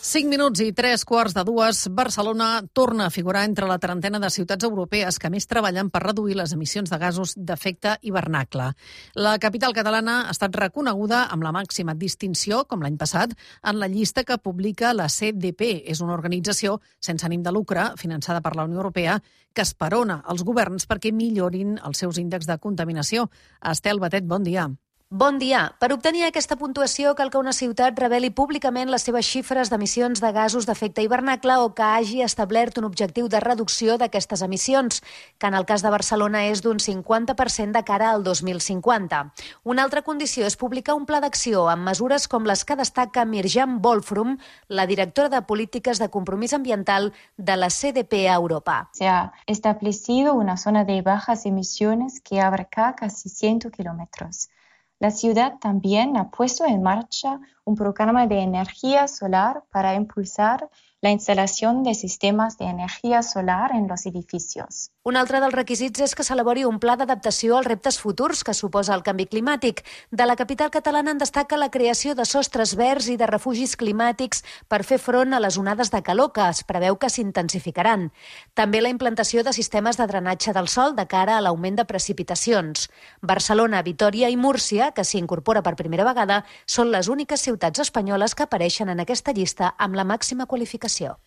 5 minuts i 3:15. Barcelona torna a figurar entre la trentena de ciutats europees que més treballen per reduir les emissions de gasos d'efecte hivernacle. La capital catalana ha estat reconeguda amb la màxima distinció, com l'any passat, en la llista que publica la CDP. És una organització sense ànim de lucre, finançada per la Unió Europea, que esperona els governs perquè millorin els seus índexs de contaminació. Estel Batet, bon dia. Bon dia. Per obtenir aquesta puntuació cal que una ciutat reveli públicament les seves xifres d'emissions de gasos d'efecte hivernacle o que hagi establert un objectiu de reducció d'aquestes emissions, que en el cas de Barcelona és d'un 50% de cara al 2050. Una altra condició és publicar un pla d'acció amb mesures com les que destaca Mirjam Wolfrum, la directora de Polítiques de Compromís Ambiental de la CDP a Europa. Se ha establecido una zona de bajas emisiones que abarca casi 100 kilómetros. La ciudad también ha puesto en marcha un programa de energía solar para impulsar la instalación de sistemas de energía solar en los edificios. Un altre dels requisits és que s'elabori un pla d'adaptació als reptes futurs que suposa el canvi climàtic. De la capital catalana en destaca la creació de sostres verds i de refugis climàtics per fer front a les onades de calor que es preveu que s'intensificaran. També la implantació de sistemes de drenatge del sòl de cara a l'augment de precipitacions. Barcelona, Vitòria i Múrcia, que s'hi incorpora per primera vegada, són les úniques ciutats espanyoles que apareixen en aquesta llista amb la màxima qualificació.